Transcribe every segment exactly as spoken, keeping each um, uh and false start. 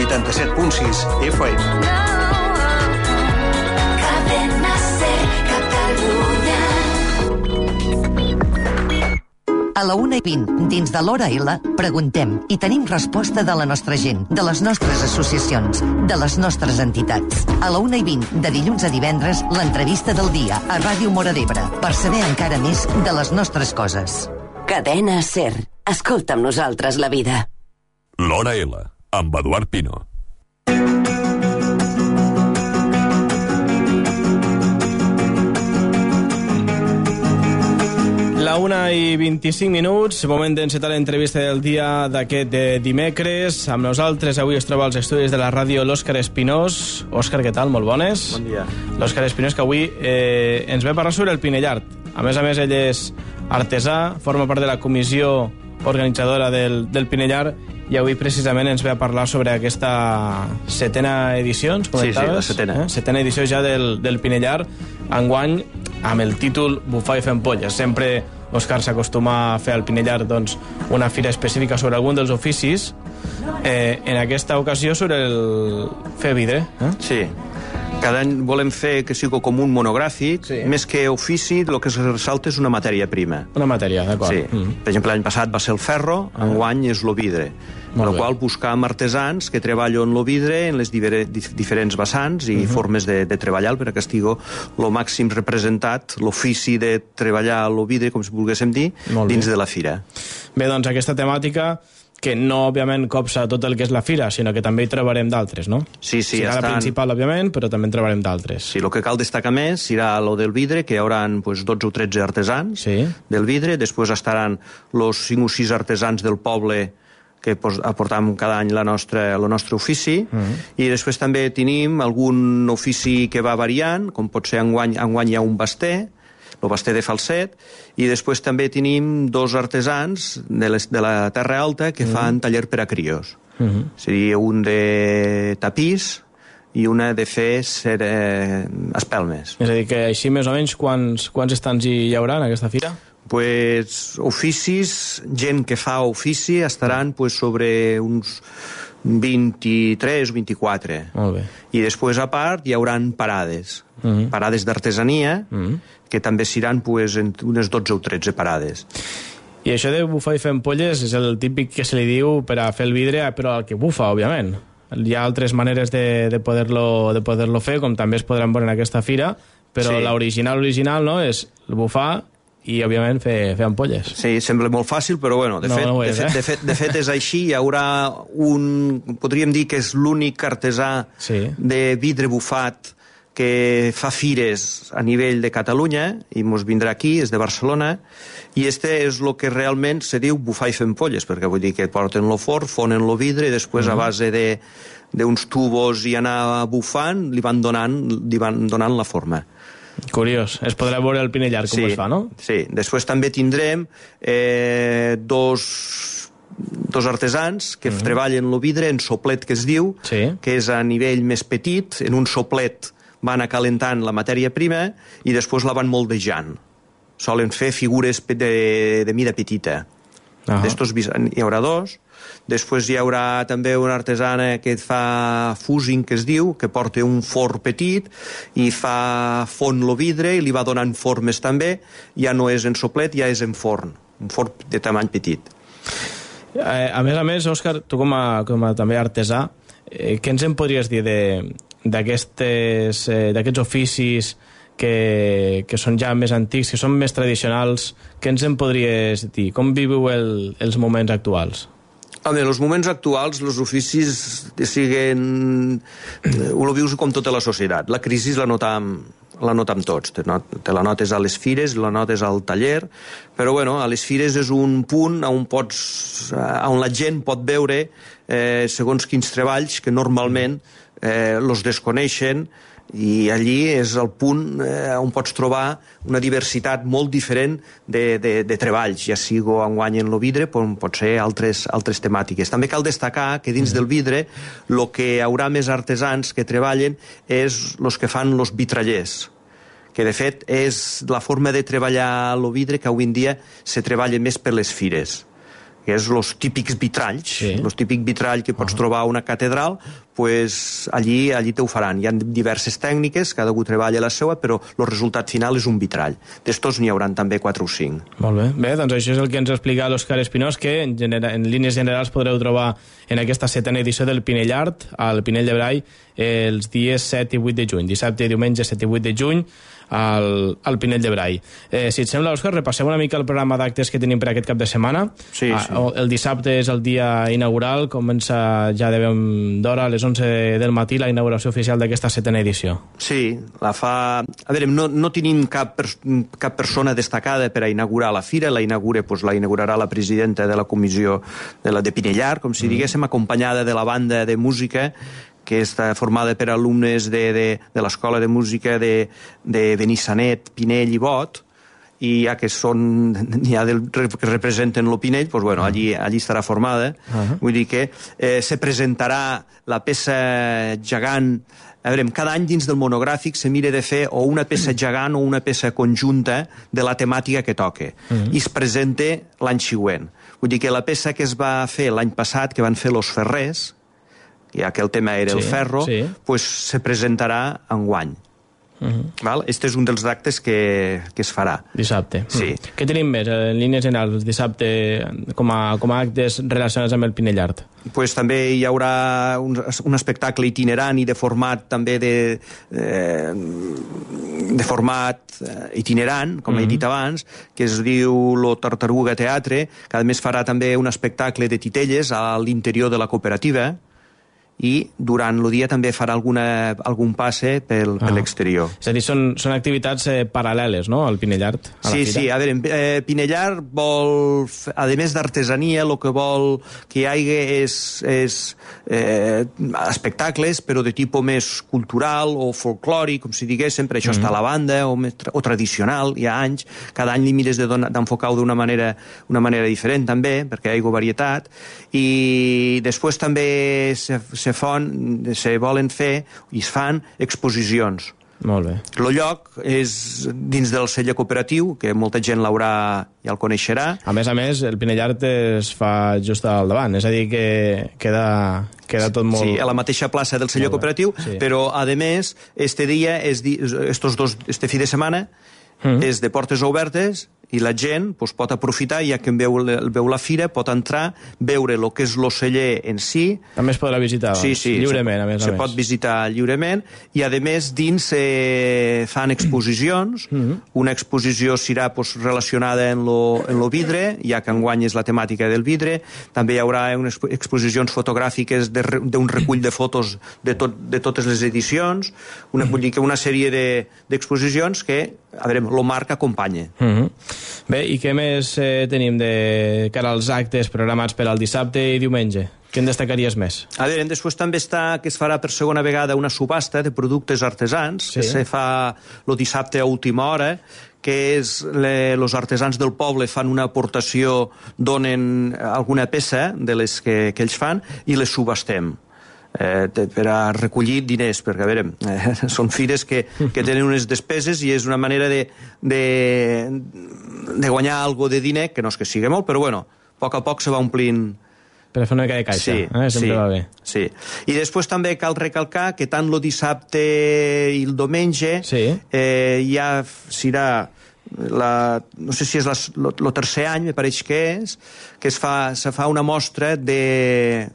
vuitanta-set punt sis F M. A la una i vint, dins de l'Hora L, preguntem i tenim resposta de la nostra gent, de les nostres associacions, de les nostres entitats. A la una i vint, de dilluns a divendres, l'entrevista del dia a Ràdio Móra d'Ebre, per saber encara més de les nostres coses. Cadena SER. Escolta amb nosaltres la vida. L'Hora L, amb Eduard Pino. La una i vint-i-cinc minuts, moment d'encetar l'entrevista del dia d'aquest de dimecres. Amb nosaltres avui es troba als estudis de la ràdio l'Òscar Espinós. Òscar, què tal? Molt bones. Bon dia. L'Òscar Espinós, que avui eh, ens ve a parlar sobre el Pinellard. A més a més, ell és artesà, forma part de la comissió organitzadora del, del Pinellard, i avui precisament ens ve a parlar sobre aquesta setena edició, ens comentaves? Sí, sí, la setena. Eh? Setena edició ja del, del Pinellard, enguany amb el títol Bufar i fer ampolles. Sempre Òscar s'acostuma a fer al Pinellard doncs, una fira específica sobre algun dels oficis, eh, en aquesta ocasió sobre el fer vidre. Eh? Sí. Cada any volem fer que sigui com un monogràfic, sí. Més que ofici, el que es ressalta és una matèria prima. Una matèria, d'acord. Sí. Mm. Per exemple, l'any passat va ser el ferro, ah. enguany és el vidre. Amb la qual buscàvem artesans que treballen el vidre en les diferents vessants i uh -huh. formes de, de treballar per a que estigui el màxim representat, l'ofici de treballar el vidre, com si volguéssim dir, dins de la fira. Bé, doncs aquesta temàtica que no, òbviament, copsa tot el que és la fira, sinó que també hi trobarem d'altres, no? Sí, sí. Serà estan... la principal, òbviament, però també en trobarem d'altres. Sí, el que cal destacar més serà el del vidre, que hi haurà pues, dotze o tretze artesans sí. del vidre, després estaran els cinc o sis artesans del poble que aportam cada any la nostra, el nostre ofici, uh -huh. i després també tenim algun ofici que va variant, com pot ser enguany, enguany hi ha un baster, el baster de falset, i després també tenim dos artesans de, les, de la Terra Alta que uh -huh. fan taller per a crios. Uh -huh. Seria un de tapís i una de fer ser, eh, espelmes. És a dir, que així més o menys quants, quants estants hi haurà en aquesta fira? Pues, oficis, gent que fa ofici estaran pues, sobre uns vint-i-tres o vint-i-quatre. Molt bé. I després, a part, hi haurà parades. Uh -huh. Parades d'artesania, uh -huh. que també seran pues, unes dotze o tretze parades. I això de bufar i fer ampolles és el típic que se li diu per a fer el vidre, però al que bufa, òbviament. Hi ha altres maneres de, de poder-lo de poder-lo fer, com també es podran veure en aquesta fira, però sí. l'original original no, és el bufar i, òbviament, fer, fer ampolles. Sí, sembla molt fàcil, però, bueno, de, no, fet, no és, de, fet, eh? de, fet, de fet és així. Hi haurà un... Podríem dir que és l'únic artesà sí. de vidre bufat que fa fires a nivell de Catalunya, i mos vindrà aquí, és de Barcelona, i este és el que realment se diu bufar i fer ampolles, perquè vull dir que porten el forn, fonen el vidre, i després, mm. a base de d'uns tubos i anar bufant, li van donant, li van donant la forma. Curiós. Es podrà veure el Pinellard com sí, es fa, no? Sí. Després també tindrem eh, dos, dos artesans que uh -huh. treballen el vidre en soplet, que es diu, sí. que és a nivell més petit. En un soplet van acalentant la matèria prima i després la van moldejant. Solen fer figures de, de mida petita. Uh -huh. D'estos hi haurà dos. Després hi haurà també una artesana que fa fusing, que es diu, que porta un forn petit i fa fon el vidre i li va donant formes també. Ja no és en soplet, ja és en forn. Un forn de tamany petit. Eh, a més a més, Òscar, tu com a, com a també artesà, eh, què ens en podries dir de, d'aquestes, eh, d'aquests oficis que, que són ja més antics, que són més tradicionals? Què ens en podries dir? Com viveu el, els moments actuals? Home, en els moments actuals, els oficis siguen... Ho vius com tota la societat. La crisi la notam, la notam tots. Te, not, te la notes a les fires, la notes al taller, però bueno, a les fires és un punt on, pots, on la gent pot veure eh, segons quins treballs que normalment eh, los desconeixen, i allí és el punt eh, on pots trobar una diversitat molt diferent de, de, de treballs, ja sigui enguany en el vidre, però pot ser altres, altres temàtiques. També cal destacar que dins del vidre el que hi haurà més artesans que treballen és els que fan els vitrallers, que de fet és la forma de treballar el vidre que avui en dia se treballa més per les fires. que és els típics vitralls, sí. els típics vitrall que pots uh -huh. trobar a una catedral, pues allí, allí te ho faran. Hi ha diverses tècniques, cada algú treballa la seva, però el resultat final és un vitrall. D'estos n'hi hauran també quatre o cinc. Molt bé. Bé, doncs això és el que ens explica l'Òscar Espinós, que en, genera, en línies generals podreu trobar en aquesta setena edició del Pinell Art, al Pinell de Brai, els dies set i vuit de juny, dissabte i diumenge set i vuit de juny, al, al Pinell de Brai. Eh, si et sembla, Òscar, repassem una mica el programa d'actes que tenim per aquest cap de setmana. Sí, ah, sí. El dissabte és el dia inaugural, comença ja de ben d'hora, a les onze del matí, la inauguració oficial d'aquesta setena edició. Sí, la fa... A veure, no, no tenim cap, per... cap persona destacada per a inaugurar la fira, la inaugura, pues, la inaugurarà la presidenta de la comissió de la de Pinellar, com si mm. diguéssim, acompanyada de la banda de música, que està formada per alumnes de, de, de l'Escola de Música de, de Benissanet, Pinell i Bot, i ja que són n'hi ha del, que representen el Pinell, doncs, bueno, allí, allí estarà formada. Uh-huh. Vull dir que eh, se presentarà la peça gegant. A veure, cada any dins del monogràfic se mira de fer o una peça gegant o una peça conjunta de la temàtica que toca. Uh-huh. I es presenta l'any següent. Vull dir que la peça que es va fer l'any passat, que van fer los ferrers, ja que el tema era sí, el ferro, sí. pues se presentarà enguany. Uh-huh. Val? Este és un dels actes que, que es farà. Dissabte. Sí. Uh-huh. Què tenim més en línies generals dissabte com a, com a actes relacionats amb el Pinell Art? Pues també hi haurà un, un espectacle itinerant i de format també de, eh, de format itinerant, com uh-huh. he dit abans, que es diu Lo Tartaruga Teatre, que a més farà també un espectacle de titelles a l'interior de la cooperativa, i durant el dia també farà alguna, algun passe pel, ah. per l'exterior. És a dir, són, són activitats eh, paral·leles, no?, al Pinell Art. A sí, la fira. Sí, a veure, eh, Pinell Art vol, a més d'artesania, el que vol que hi hagi és, és eh, espectacles, però de tipus més cultural o folclòric, com si diguéssim, per això mm-hmm. està a la banda, o, o tradicional, hi ha anys, cada any li mires d'enfocar-ho d'una manera, una manera diferent també, perquè hi ha varietat, i després també se, se, fon, se volen fer i es fan exposicions. Molt bé. El lloc és dins del celler cooperatiu, que molta gent l'haurà, ja el coneixerà. A més a més, el Pinell Art es fa just al davant, és a dir, que queda, queda tot molt... Sí, a la mateixa plaça del celler cooperatiu, sí. Però, a més, este dia, és di... estos dos, este fi de setmana, mm-hmm. és de portes obertes, i la gent pues, pot aprofitar, ja que veu, veu la fira, pot entrar, veure el que és l'oceller en si. També es podrà visitar, doncs, sí, sí, lliurement, se, a més a se més. Se pot visitar lliurement, i a més dins eh, fan exposicions. Mm-hmm. Una exposició serà pues, relacionada en lo, en lo vidre, ja que enguany és la temàtica del vidre. També hi haurà unes exposicions fotogràfiques d'un recull de fotos de, tot, de totes les edicions, una, vull dir que una sèrie d'exposicions de, que, a veure, lo marc acompanya. Mm-hmm. Bé, i què més eh, tenim de cara als actes programats per al dissabte i diumenge? Què en destacaries més? A veure, després també està que es farà per segona vegada una subhasta de productes artesans, sí. Que se fa el dissabte a última hora, que és els artesans del poble fan una aportació, donen alguna peça de les que, que ells fan i les subhastem. Eh, per a recollir diners, perquè a veure, eh, són fires que, que tenen unes despeses i és una manera de, de, de guanyar algo de diner, que no és que sigui molt, però bueno, a poc a poc se va omplint. Per a fer una mica de caixa, sí, eh? Sempre sí, va bé. Sí. I després també cal recalcar que tant el dissabte i el diumenge sí. eh, ja serà la, no sé si és el tercer any, me pareix que és, que es fa, se fa una mostra de...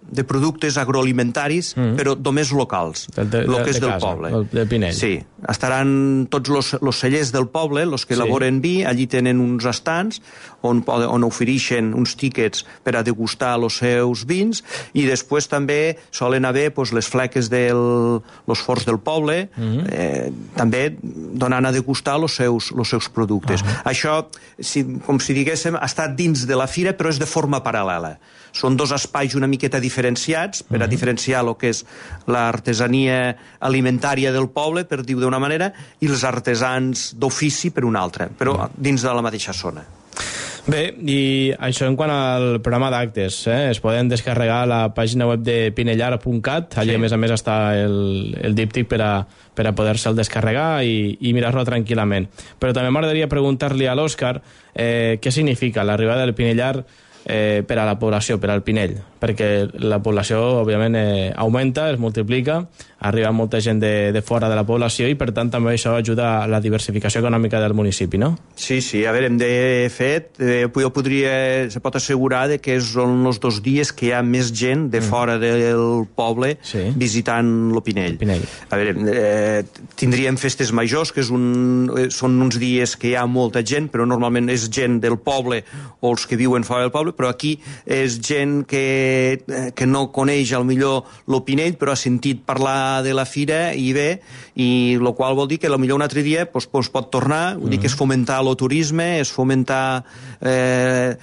de productes agroalimentaris, mm. però només locals, el que és de del casa, poble. El de Pinell. Sí, estaran tots els cellers del poble, els que sí. elaboren vi, allí tenen uns estants on, on ofereixen uns tíquets per a degustar els seus vins, i després també solen haver pues, les fleques dels forns del poble, mm. eh, també donant a degustar els seus, els seus productes. Ah. Això, si, com si diguéssim, ha estat dins de la fira, però és de forma paral·lela. Són dos espais una miqueta diferenciats per a diferenciar el que és l'artesania alimentària del poble, per dir-ho d'una manera, i els artesans d'ofici per una altra, però dins de la mateixa zona. Bé, i això en quant al programa d'actes, eh? Es poden descarregar a la pàgina web de pinellar punt cat, allà sí. A més a més està el, el díptic per a, per a poder-se'l descarregar i, i mirar-lo tranquil·lament. Però també m'agradaria preguntar-li a l'Òscar eh, què significa l'arribada del Pinell Art eh, per a la població, per al Pinell, perquè la població, òbviament, eh, augmenta, es multiplica, arriba molta gent de, de fora de la població i, per tant, també això ajuda a la diversificació econòmica del municipi, no? Sí, sí, a veure, hem de fet, eh, jo podria, se pot assegurar de que són els dos dies que hi ha més gent de fora del poble Sí. visitant lo Pinell. El Pinell. A veure, eh, tindríem festes majors, que és un, eh, són uns dies que hi ha molta gent, però normalment és gent del poble o els que viuen fora del poble, però aquí és gent que, eh, que no coneix al millor lo Pinell, però ha sentit parlar de la fira i ve, i el qual vol dir que potser un altre dia pues, pues, pot tornar, vull dir que és fomentar el turisme, és fomentar eh,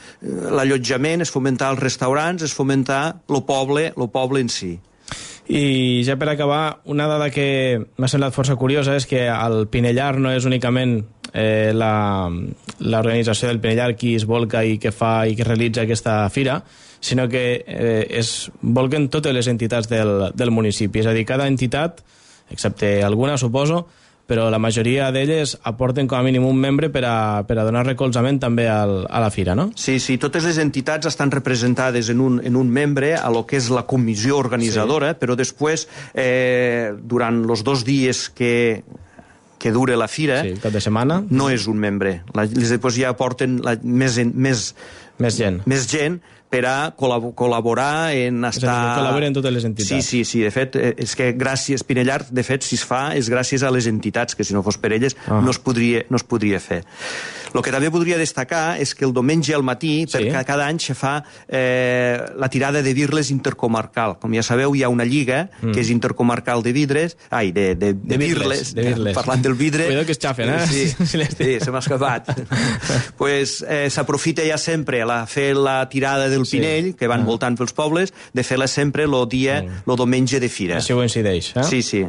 l'allotjament, és fomentar els restaurants, és fomentar el poble, el poble en si. I ja per acabar, una dada que m'ha semblat força curiosa és que el Pinellar no és únicament eh, l'organització del Pinellar qui es volca i que fa i que realitza aquesta fira, sinó que eh, es volquen totes les entitats del, del municipi. És a dir, cada entitat, excepte alguna, suposo, però la majoria d'elles aporten com a mínim un membre per a, per a donar recolzament també al, a la fira, no? Sí, sí, totes les entitats estan representades en un, en un membre a lo que és la comissió organitzadora, sí. Però després, eh, durant els dos dies que que dure la fira, sí, cap de setmana, no és un membre. La, després ja aporten la, més, més, més gent. Més gent per a col·labo col·laborar en estar... És a dir, col·laboren totes les entitats. Sí, sí, sí, de fet, és que gràcies, Pinellar, de fet, si es fa, és gràcies a les entitats, que si no fos per elles ah. no, es podria, no es podria fer. El que també podria destacar és que el diumenge al matí, sí. perquè cada any se fa eh, la tirada de birles intercomarcal. Com ja sabeu, hi ha una lliga mm. que és intercomarcal de vidres, ai, de, de, de, de birles, de birles. Parlant del vidre... Cuidado que es xafen, eh? Sí, sí se m'ha escapat. Pues eh, s'aprofita ja sempre a fer la tirada del sí. Pinell, que van ah. voltant pels pobles, de fer-la sempre el dia, el diumenge de fira. Així coincideix, eh? Sí, sí.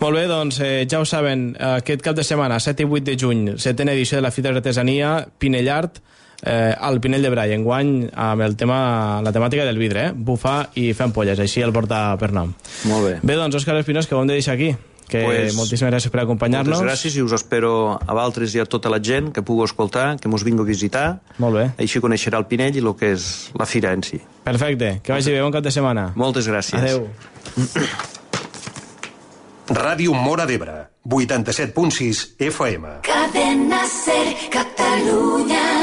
Molt bé, doncs eh, ja ho saben, aquest cap de setmana, set i vuit de juny, setena edició de la Fira d'Artesania Pinellart, eh, al Pinell de Brai, enguany amb el tema, la temàtica del vidre, eh? Bufar i fer ampolles, així el porta per nom. Molt bé. Bé, doncs, Òscar Espinós, que ho hem de deixar aquí. Que pues, moltíssimes gràcies per acompanyar-nos. Moltes gràcies i us espero a vosaltres i a tota la gent que pugui escoltar, que mos vingui a visitar. Molt bé. Així coneixerà el Pinell i el que és la fira en si. Perfecte. Que vagi bé, bon cap de setmana. Moltes gràcies. Adéu. Ràdio Móra d'Ebre, vuitanta-set punt sis F M. Cadena Ser, Catalunya.